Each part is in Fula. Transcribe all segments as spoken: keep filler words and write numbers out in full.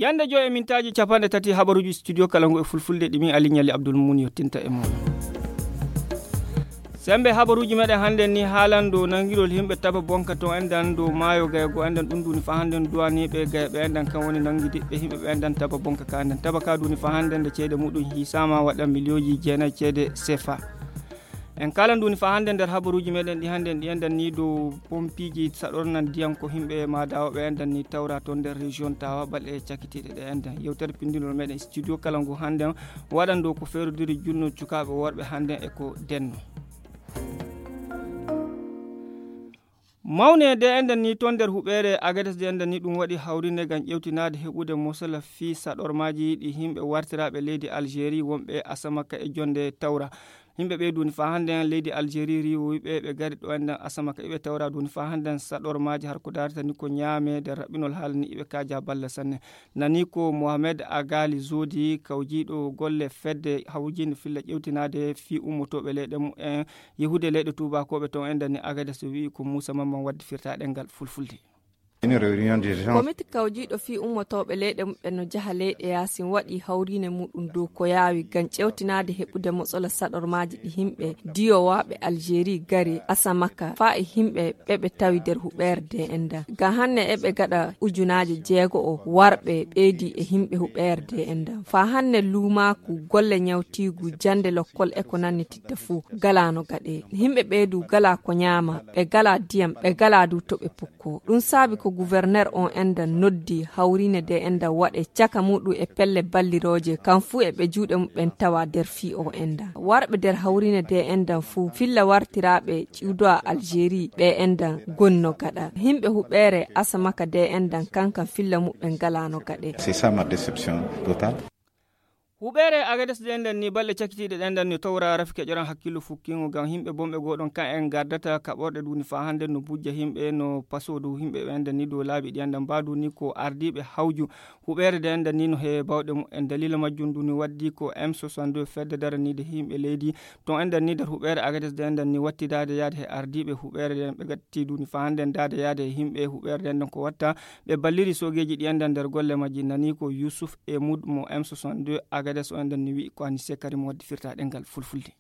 Ende joy e mintaaji capanɗe tati habaruuji studio kala ngu e fulfulde ɗi min Ali Ɲalli Abdul Mun yottinta e mon. Sembe habaruuji meɗen hannden ni haalan dow nangirol himɓe taba bonka to endan dow maayo gaygo endan ɗum duni fa hannden duwaniiɓe gayɓe endan kan woni nangidiɓɓe himɓe ɓe endan taba bonka ka endan taba ka duni fa hannden nde ceede muɗum hiisaama waɗa miliyooji jeenayi ceede sefa. En kala nduni fa hannde nder habaruuji meɗen ɗi hannde en ɗi endan ni dow pompiiji saɗornan ndiyam ko himɓe maadawo ɓe endan ni tawra toon nder région tawa balɗe cakitiiɗe ɗe endan yewtere pindinol meɗen studio kala ngu hannden waɗan dow ko feerodiri junno cukaaɓe worɓe hannden e ko denno. Mawne de endan ni toon nder huɓeere agades de endan ni ɗum waɗi hawrinde ngam ƴewtinaade heɓude mosala fii saɗormaaji ɗi himɓe wartiraaɓe leydi algérie wonɓe asamaka e jonde tawra. Yimɓe ɓee duuni faa hannden leydi Algérie riiwowi ɓe ɓe gari ɗo enɗan asama ka iɓe tawra duuni faa hannden saɗormaaji har ko daarata ni ko ñaame nder raɓɓinol haala ni iɓe kaaja balla sanne. Nani ko Mohamed Agali Zodi kawjiiɗo golle fedde hawjiinde filla ƴewtinaade fii ummotooɓe leyɗe mumen yehude leyɗe tuubakooɓe ton enɗan ni Agades wi'i ko Muusa Mamman waddi firtaaɗe ngal fulfulde. Une réunion d'urgence. Komiti kawjiiɗo fii ummotooɓe leyɗe muɓɓen no jaha leyɗe yaasin waɗi hawriine muɗum dow ko yaawi ngam ƴewtinaade heɓude motsola saɗormaaji ɗi himɓe diyowaaɓe Algérie gari asamaka faa e himɓe ɓe ɓe tawi nder huɓeere de enɗan. Ngam hanne eɓe gaɗa ujunaaje jeego o warɓe ɓeydi e himɓe huɓeere de enɗan. Faa hanne luumaaku golle ñawtiigu jannde lokkol e ko nanni titta fuu galaano gaɗe. Himɓe ɓeydu gala ko ñaama, ɓe gala diyam, ɓe gala du to ɓe pukko. Ɗum saabi ko guwerner on enɗan noddi hawriine de enɗan waɗe caka muɗum e pelle ballirooje, kam fuu e ɓe juuɗe muɓɓen tawa nder fii o enɗan. Warɓe nder hawriine de enɗan fuu filla wartiraaɓe ciwdowa Algérie ɓe enɗan gonno gaɗa. Himɓe huɓeere asamaka de enɗan kankan filla muɓɓen galaano gaɗe. C'est ça ma déception totale. Huɓeere Agades ɗen ɗan ni balɗe cakitiiɗe ɗen ɗan ni towra rafi keƴoran hakkillo fukkingo ngam himɓe bonɓe goo ɗon kan en gardata kaɓorɗe duuni faa hannde no bujja himɓe no paso dow himɓe ɓen ɗan ni dow laabi ɗi enɗan mbaadu ni ko ardiiɓe hawju huɓeere ɗe enɗan ni no he bawɗe mumen. Daliila majjum ndu ni waddi ko M soixante-deux fedde daraniide himɓe leydi ton enɗan ni nder huɓeere Agades ɗe enɗan ni wattidaade yaade he ardiiɓe huɓeere ɗen ɓe gatti duuni faa hannde ndaade yaade he himɓe huɓeere ɗen ɗon ko watta ɓe balliri soogeeji ɗi enɗan nder golle majji. Nani ko Yusuf Emud mo M soixante-deux Agades o enɗan ni wi'i ko Anise Karim waddi firta ɗengal fulfulde.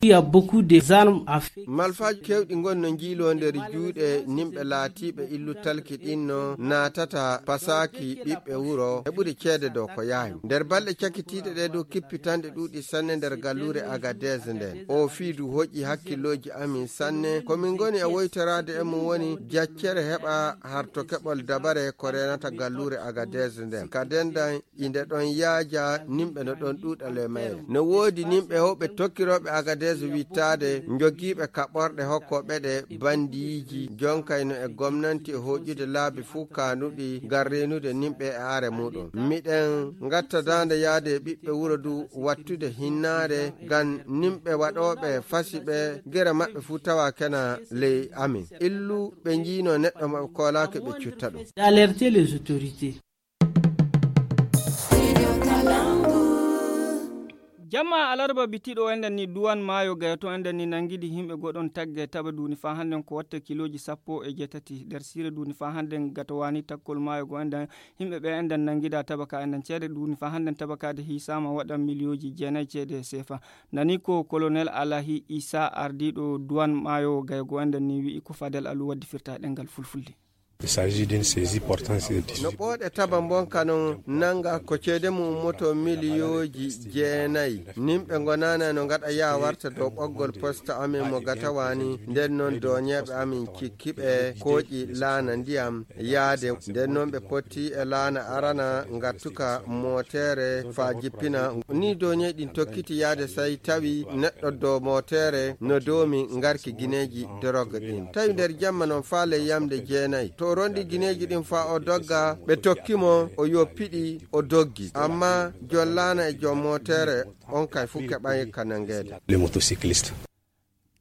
Il y a beaucoup des armes à feu. Malfaaji keewɗi ngon no njiiloo nder juuɗe nimɓe laatiiɓe illu talki ɗin no naatata pasaaki ɓiɓɓe wuro heɓude ceede dow ko yaawi. Nder balɗe cakitiiɗe ɗe dow kippitanɗe ɗuuɗi sanne nder galluure Agadez nden. O fii du hoƴƴi hakkillooji amin sanne. Ko min ngoni e woytoraade e mum woni jaccere heɓa harto keɓol dabare ko reenata galluure Agadez nden. Ka dendan inde ɗon yaaja nimɓe no ɗon ɗuuɗa le mayre. No woodi nimɓe hewɓe tokkirooɓe Agadez wittaade njogiiɓe kaɓorɗe hokkooɓe ɗe bandiiji jonkayno e gomnanti e hoƴude laabi fuu kaanuɗi ngam reenude nimɓe e aare muɗum. Miɗen ngatta daande yaade e ɓiɓɓe wuro du wattude hinnaare ngam nimɓe waɗooɓe fasi ɓe gere maɓɓe fuu tawa kena ley amin. Illu ɓe njiino neɗɗo maɓɓe koolaaki ɓe cutta ɗum. D'alerter les autorités. Jamma alarba bitiɗo enɗan ni duwan maayo gayato enɗan ni nangidi himɓe goɗon tagge taba duuni faa hannden ko watta kilooji sappo e jeetati nder siire duuni faa hannden gatowani takkol maayo go enɗan himɓe ɓe enɗan nangida tabaka enɗan ceede duuni faa hannden tabakaade hiisaama waɗan miliyooji jeenayi ceede seefa. Nani ko kolonel Alahi Isa ardiiɗo duwan maayo gaygo enɗan ni wi'i ko Fadel Alu waddi firta ɗengal fulfulde. Il s'agit d'une saisie portant sur dix-huit. No ɓooɗe taba mbonka non nanga ko ceede mum ummoto miliyooji jeenayi. Nimɓe ngonana no ngaɗa yaa warta dow ɓoggol poste amin mo gatawani nden non doñeeɓe amin cikkiɓe kooƴi laana ndiyam yaade nden non ɓe potti e laana arana ngattuka mootere faa jippina. Ni doñeeji ɗin tokkiti yaade say tawi neɗɗo dow mootere no doomi ngarki gineeji dorog ɗin. Tawi nder jamma non faa ley yamde jeenayi. To o rondi gineeji ɗin faa o dogga, ɓe tokki mo, o yoppiɗi, o doggi. Amma jom laana e jom mootere on kay fuu keɓay ka nangeede. Le motocycliste.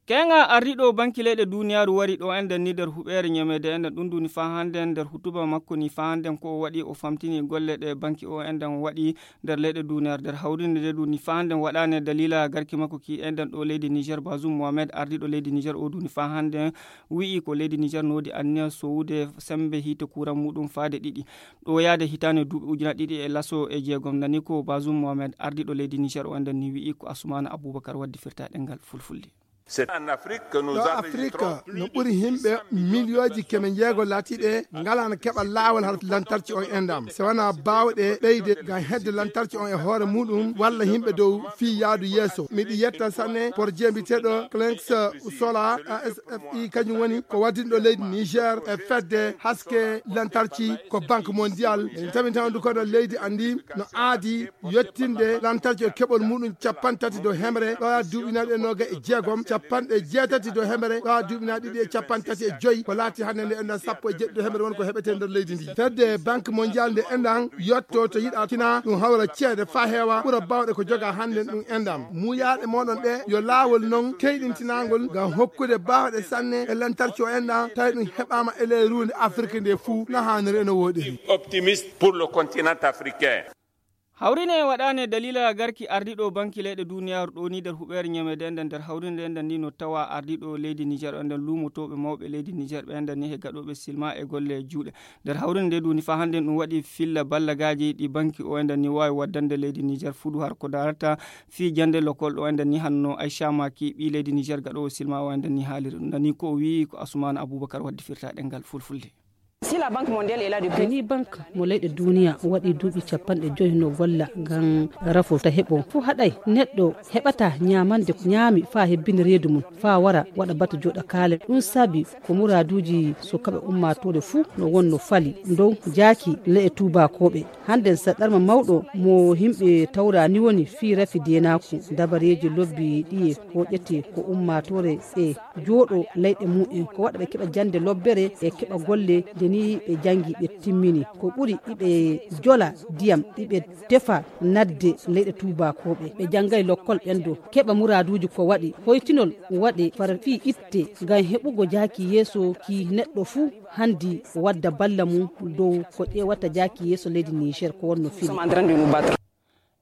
Keŋa ardiiɗo banki leyɗe duniyaaru wari ɗo enɗen ni nder huɓeere ñameede enɗen ɗum duni faa hannden nder hutuba makko ni faa hannden ko o waɗi o famtini golle ɗe banki o enɗen waɗi nder leyɗe duniyaaru nder hawrinde nde duni faa hannden waɗaane daliila garki makko ki enɗen ɗo leydi Niger Bazum Mohamed ardiiɗo leydi Niger o duni faa hannden wi'i ko leydi Niger noodi anniya sowude sembe hiite kuran muɗum faade ɗiɗi ɗo yaade hitaande duuɓi ujuna ɗiɗi e laso e jeegom nani ko Bazum Mohamed ardiiɗo leydi Niger o enɗen ni wi'i ko Asumana Abubakar waddi firta ɗengal fulfulde. Ɗo Afrik no ɓuri himɓe miliyooji keme jeego laatiiɓe ngalaano keɓa laawol har lantarki on enɗam so wonaa baawɗe ɓeyde ngam hedde lantarki on e hoore muɗum walla yimɓe dow fii yaadu yeeso miɗi yetta sanne porje mbiyeteeɗo clenx sola asfi kañum woni ko waddinɗo leydi niger e fedde haske lantarki ko banque mondial en tamintandu koɗo leydi andi no aadi yettinde lantarki e keɓol muɗum capanɗe tati dow hemre ɗo duuɓi naɗe noga e jeegom capanɗe jeetati dow hemre ɗo duuɓi naɗe ɗiɗi e capanɗe tati e joyi ko laati hannde nde enɗan sappo e jeɗɗi dow hemre won ko heɓete nder leydi ndi fedde banque mondial nde enɗan yetto to yiɗa tina ɗum hawra ceede fa heewa ɓura bawɗe ko joga hannde ɗum enɗan muyaɗe moɗon ɗe yo laawol non keyɗintinagol ngam hokkude bawɗe sanne e lantarki o enɗan tawi ɗum heɓama e ley runde afrique nde fuu no haniri eno woɗiri. Optimiste pour le continent africain. Hawrine waɗaane daliila garki ardiiɗo banki leyɗe duniyaaru ɗo ni nder huɓeere ñameede nden nder hawrinde nden ni no tawa ardiiɗo leydi niger nden luumotooɓe mawɓe leydi niger ɓe nden ni he gaɗooɓe silma e golle juuɗe nder hawrinde nde duni faa hannde ɗum waɗi filla ballagaaji ɗi banki o nden ni waawi waddande leydi niger fuɗu har ko darata fii jannde lokol ɗo nden ni hanno aycha maki ɓii leydi niger gaɗoowo silma o nden ni haaliri ɗum nani ko o wi'i ko asumaana abubakar waddi firta ɗengal fulfulde. Ni bank mo leyɗe duniya waɗi duuɓi capanɗe joyi no golla ngam rafo ta heɓo fuu haɗay neɗɗo heɓata ñaamande ko ñaami faa hebbina reedu mum faa wara waɗa batu jooɗa kaale ɗum saabi ko muraaduuji sukaɓe ummaatoore fuu no wonno fali dow jaaki le'e tuubaakooɓe. Hannden saɗɗarma mawɗo mo yimɓe tawra ni woni fii rafi deenaaku dabareeji lobbi ɗiye hooƴete ko ummaatoore e jooɗo leyɗe mum en ko waɗa ɓe keɓa jannde lobbere e keɓa golle nde ni ɓe janngi ɓe timmini ko ɓuri iɓe jola ndiyam iɓe tefa nadde leyɗe tuubaakooɓe ɓe janngay lokkol ɓen do keɓa muraaduuji ko waɗi hoytinol waɗe fara fii itte ngam heɓugo jaaki yeeso ki neɗɗo fuu hanndi wadda balla mum dow ko ƴeewata jaaki yeeso leydi niger ko wonno fini.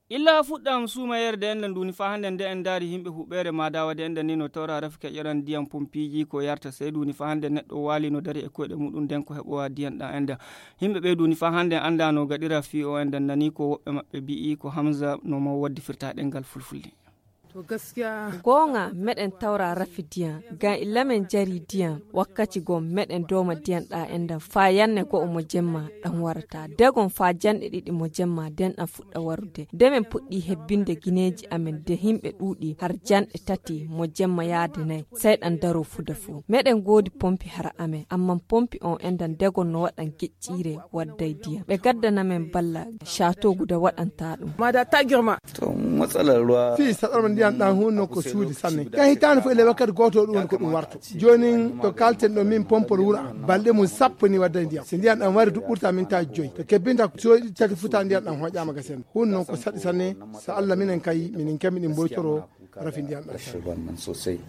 Illa fuɗɗam suumayerde enden duni faa hannde nde en ndaari yimɓe huɓeere maadawa de enden ni no tawra rafi keƴoran ndiyam pompiiji ko yarta sey duni faa hannde neɗɗo waali no dari e koyɗe muɗum nden ko heɓowa ndiyam ɗam enden yimɓe ɓe duni faa hannde annda no gaɗira fii o enden nani ko woɓɓe maɓɓe mbi'i ko hamsa no mo waddi firta ɗengal fulfulde. Goonga meɗen tawra rafi diyam ngam illa men jari diyam wakkati goo meɗen dooma diyam ɗam enden faa yanne go'o mo jemma ɗam warata degon faa janɗe ɗiɗi mo jemma nden ɗam fuɗɗa warude nde men puɗɗi hebbinde gineeji amen de yimɓe ɗuuɗi har janɗe tati mo jemma yaade nay sey ɗam daro fuda fuu meɗen ngoodi pompi hara amen amman pompi on enɗan degon no waɗan geƴƴiire wadday diyam ɓe gaddana men balla. Château guda waɗanta ɗum. Mada ta girma. To matsalar ruwa fii saɗorma ndiyan ɗan hunno ko suudi sanne ka hitaande fof ele wakkati gooto ɗum woni ko ɗum warto. Joonin to kalten ɗo min pompol wura balɗe mum sappo ni wadda e ndiyam so ndiyan ɗan wari duɓɓurta min taji joyi to kebbinta soyɗi tati futa ndiyan ɗan hoƴama gasen. Hunno ko saɗi sanne. So allah minen kay minin kemmi ɗin mboytoro rafi ndiyan ɗan sanne.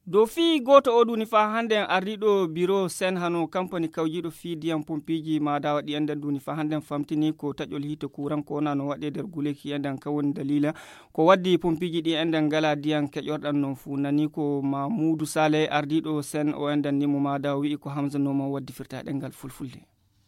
Dow fii gooto oo duni faa hannde en ardiiɗo biro sen hano kampani kawjiiɗo fii diyam pompiiji maadawa ɗi enɗen duni faa hannde en famtini ko taƴol hiite kuuran ko wona no waɗee nder guleeki enɗen ka woni daliila ko waddi pompiiji ɗi enɗen ngalaa diyam keƴorɗan non fuu nani ko mamuudu sale ardiiɗo sen o enɗen ni mo maadawa wi'i ko hamsa nooma waddi firta ɗengal fulfulde.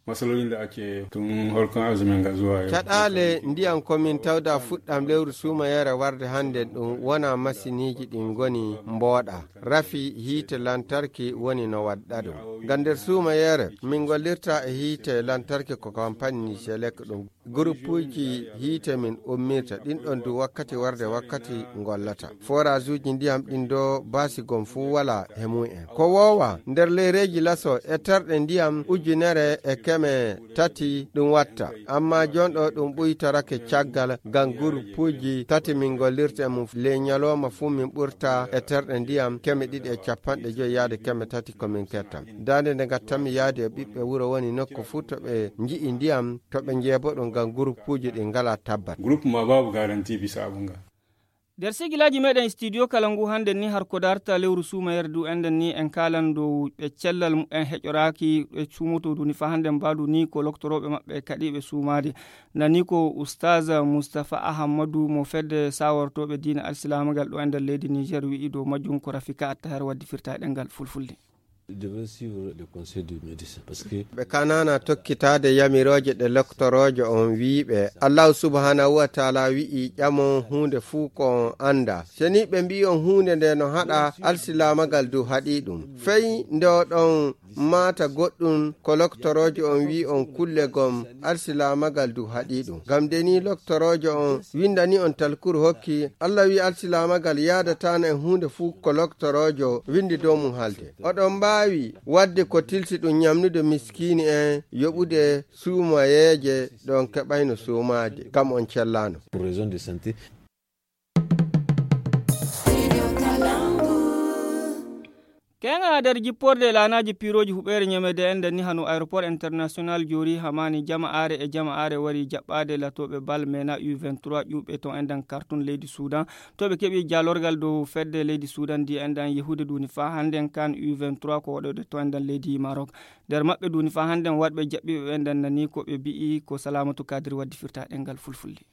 Masalolin da ake tun harkon azumin ga zuwa yau. Caɗaale ndiyan komin tawda fuɗɗam lewru suumayeere warde hannde ɗum wona masiniiji ɗin ngoni mbooɗa rafi hiite lantarki woni no waɗɗa ɗum. Ngam nder suumayeere min ngollirta e hiite lantarki ko kampani niselek ɗum gurupuuji hiite min ummirta ɗin ɗon du wakkati warde wakkati ngollata. Forage uji ndiyam ɗin do baasi gom fuu wala he mum en ko woowa nder leyreeji laso e terɗe ndiyam ujunere e keme tati ɗum watta. Amma jonɗo ɗum ɓuytorake caggal ngam gurupuuji tati min ngollirta e mum ley ñalooma fuu min ɓurta e terɗe ndiyam keme ɗiɗi e capanɗe joyi yaade keme tati ko min ketta. Daande nde ngattanmi yaade e ɓiɓɓe wuro woni nokku fuu to ɓe nji'i ndiyam to ɓe njeebo ɗum ngam gurupuuji ɗi ngalaa tabbat. Gurupu ma baabu garanti bisa abun ga. Nder sigilaaji meɗen studio kala ngu hannde ni, har ko darta lewru suumayere du, enden ni en kaalan dow ɓe cellal mumen heƴoraaki, ɓe cuumoto du ni fa hannde mbaadu ni ko loktorooɓe maɓɓe kaɗiiɓe suumaade. Nani ko Ustaz Mustafa Ahamadu mo fedde sawortooɓe diina alsilaamagal ɗo e nder leydi Niger wi'i dow majjum, ko Rafika Attahar waddi firta e ɗemngal fulfulde. Ɓe kanana tokkitaade yamirooje ɗe loktoroojo on wi'i ɓe. Allahu subhanahu wa taala wi'i ƴamon huunde fuu ko on annda. Se ni ɓe mbi'i on huunde nde no haɗa, alsilaamagal du haɗi ɗum. Fey nde oɗon maata goɗɗum ko loktoroojo on wi'i on kulle gom, alsilaamagal du haɗi ɗum. Ngam de ni loktoroojo on windani on talkuru hokki, Allah wi'i alsilaamagal yaadataana e huunde fuu ko loktoroojo windi dow mum haalde. Oɗon mbaawi waɗde ko tilsi ɗum ñamnude miskiini en, yoɓude suumayeeje ɗon keɓayno suumaade, kam on cellaano. Keŋa nder jipporde e laanaaji piirooji huɓeere ñamede en nden ni hano aéroport international Joori Hamani jama'aare e jama'aare wari jaɓɓaade latooɓe bal mena U vingt-trois ƴuuɓe ton e nden kartun leydi Suudan. To ɓe keɓi jaalorgal dow fedde leydi Suudan ndi e nden yehude duni faa hannden kan U vingt-trois ko waɗoyde to e nden leydi Maroc. Nder maɓɓe duni faa hannden waɗɓe jaɓɓiiɓe ɓe nden nani ko ɓe bi'i ko Salamatu Kadiri waddi firta ɗemngal fulfulde.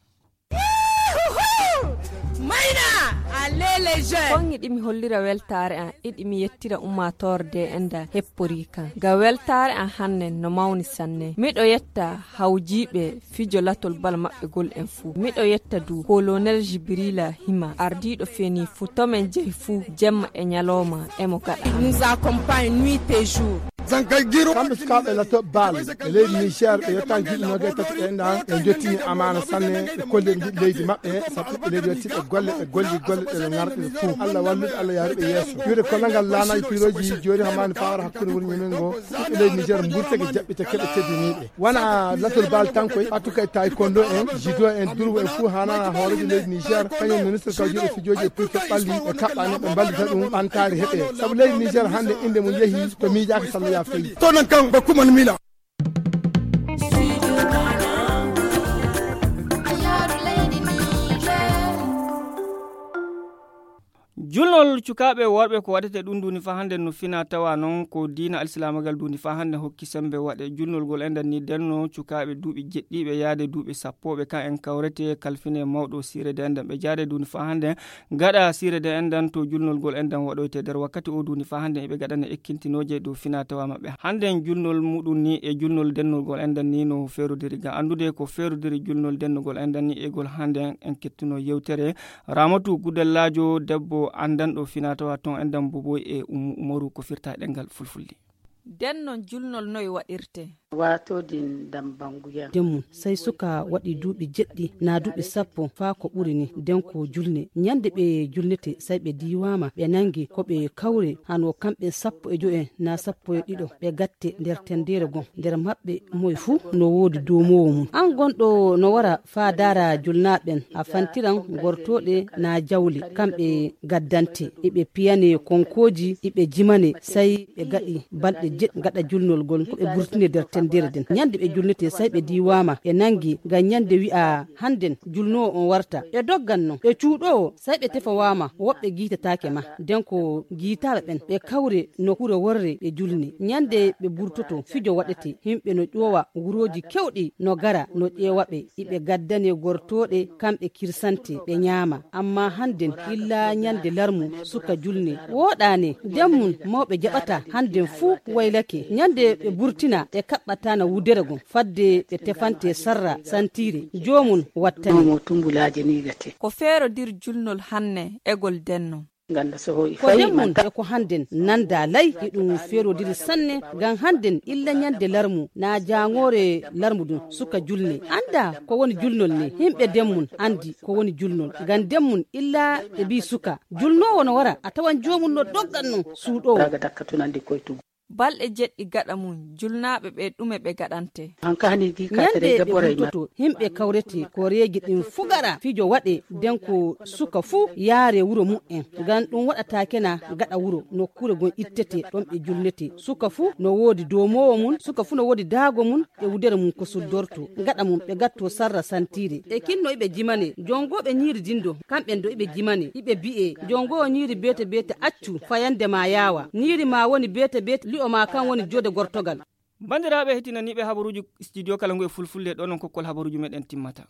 Mayna, allez les jeunes. Kon iɗi mi hollira weltaare an, iɗi mi yettira ummaatoore de enda heppori kan. Ga weltaare an hanne no mawni sanne. Miɗo yetta hawjiiɓe fijo latol bal maɓɓe gol en fuu. Miɗo yetta du Colonel Jibrila Hima, ardiiɗo feni fuu. To men jehi fuu, jemma e ñalooma, emo gaɗa. Nous accompagne nuit et jour. Kamɓe sukaaɓe latooɓe baal e leydi Niger, ɓe yettaani duuɓi noogay tati ɓe enɗan, ɓe njottini amaana sanne, ɓe kolli ɓe njiɗi leydi maɓɓe, sabu ɓiɓɓe leydi yettiiɓe golle, ɓe golli golle ɗe ɓe ŋarɗi ɗe fuu. Allah walluɓe, Allah yaaruɓe yeeso. Wiide kollal ngal laanaaji piirooji jooni hamaani faawara hakkunde wuro Ñemen ngo, ɓiɓɓe leydi Niger mburtake jaɓɓite keɓe teddiniiɓe. Wona latol baal tan koy, ɓattu kay taekwondo en, judo en, durwo en fuu haanana hooreejo leydi Niger, kañum ministre kawjiiɗo fijooji e puccu ɓalli e kaɓɓaani ɓe mballita ɗum ɓantaari heɓe. Sabu leydi Niger hannde innde mum yehi to miijaaka salloya feyi. To nan kan ba kuman mila. Julnol cukaaɓe worɓe ko waɗete ɗum duni faa hannde no fina tawa noon ko diina alsilaamagal duni faa hannde hokki sembe waɗe julnol ngol enɗan ni denno cukaaɓe duuɓi jeɗɗiiɓe yaade duuɓi sappooɓe kan en kawrete kalfine mawɗo siire de enɗan ɓe jaade duni faa hannde gaɗa siire de enɗan to julnol ngol enɗan waɗoyte nder wakkati o duni faa hannde eɓe gaɗana ekkintinooje dow fina tawa maɓɓe hannde julnol muɗum ni e julnol dennol ngol enɗan ni no feerodiri ngam anndude ko feerodiri julnol dennugol enɗan ni e ngol hannde en kettuno yewtere Ramatu Gudellaajo debbo anndanɗo finaa-tawaa toon e Dambo Boy e Ummu Umaru ko firta e ɗemngal fulfulde. Nden noon julnol noy waɗirtee? Waatoo din dambanguya. Nden mum, sey suka waɗi duuɓi jeɗɗi, naa duuɓi sappo, faa ko ɓuri ni, nden ko julne. Ñande ɓe julnete, sey ɓe diiwaama, ɓe nanngi ko ɓe kawre, hano kamɓe sappo e jo'o en, naa sappo e ɗiɗo, ɓe gatte nder tenndere gom. Nder maɓɓe, moy fuu no woodi duumoowo mum. Aan gonɗo no wara faa daara julnaaɓe ɓen, a fantiran gortooɗe naa jawle, kamɓe gaddante, iɓe piyane konkooji, iɓe jimane, sey ɓe gaɗi balɗe jeɗɗi gaɗa julnol ngol, ko ɓe burtine nder tenndere nden. Ñande ɓe julnetee, sey ɓe diiwaama, ɓe nanngi, ngam ñande wi'a, hannden julnoowo on warta. Ɓe dogganno, ɓe cuuɗoowo, sey ɓe tefowaama, woɓɓe giitataake ma. Nden ko giitaaɓe ɓen, ɓe kawre nokkuure worre ɓe julne. Ñande ɓe burtoto, fijo waɗete, himɓe no ƴoowa wurooji kewɗi no gara no ƴeewa ɓe, iɓe gaddane gortooɗe, kamɓe kirsante, ɓe ñaama. Ammaa hannden, illa ñande larmu, suka julne. Wooɗaani, nden mum mawɓe jaɓataa, hannden fuu waylake. Ñande ɓe burtina, ɓe kaɓɓataana wudere gom, fadde ɓe tefante sarra santiire, joomum wattane. Ko feerodir julnol hanne egol denno. Ko nden mum e ko hannden nanndaa lay, iɗum feerodiri sanne, ngam hannden illa ñande larmu, naa jaaŋoore larmu ɗum, suka julne. Anndaa ko woni julnol ni, himɓe nden mum anndi ko woni julnol. Ngam nden mum illa ɓe mbii suka, julnoowo no wara, a tawan joomum no doggan non suuɗoowo. Balɗe jeɗɗi gaɗa mum, julnaaɓe ɓe ɗume ɓe gaɗante? Ñande ɓe wurtoto, himɓe kawrete, koreeji ɗin fu gaɗa, fijo waɗe, den ko suka fu yaare wuro mu'en. Ngam ɗum waɗataake na gaɗa wuro, nokkuure gon ittete, ɗon ɓe julnete. Suka fu no woodi doomoowo mum, suka fu no woodi daago mum, e wudere mum ko suddorto. Gaɗa mum ɓe gatto sarra santiire. E kinno iɓe jimane, jongooɓe ñiiri dindo, kamɓen do iɓe jimane, iɓe bi'e, jongoowo ñiiri beete beete accu, fayande ma yaawa. Ñiiri ma woni beete beete, li'o ma kan woni jode gortogal. Bandiraaɓe hetinaniiɓe habaruuji studio kala ngu e fulfulde, ɗo non kokkol habaruuji meɗen timmata.